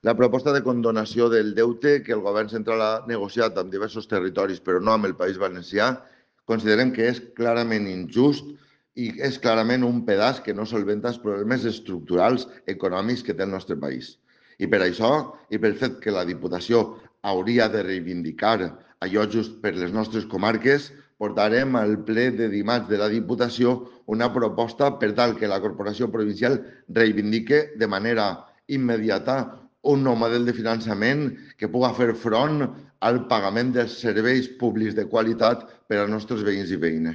La proposta de condonació del deute que el govern central ha negociat amb diversos territoris, però no amb el País Valencià, considerem que és clarament injust i és clarament un pedaç que no solventa els problemes estructurals econòmics que té el nostre país. I per això, i pel fet que la Diputació hauria de reivindicar allò just per les nostres comarques, portarem al ple de dimarts de la Diputació una proposta per tal que la Corporació Provincial reivindique de manera immediata un nou model de finançament que pugui fer front al pagament dels serveis públics de qualitat per als nostres veïns i veïnes.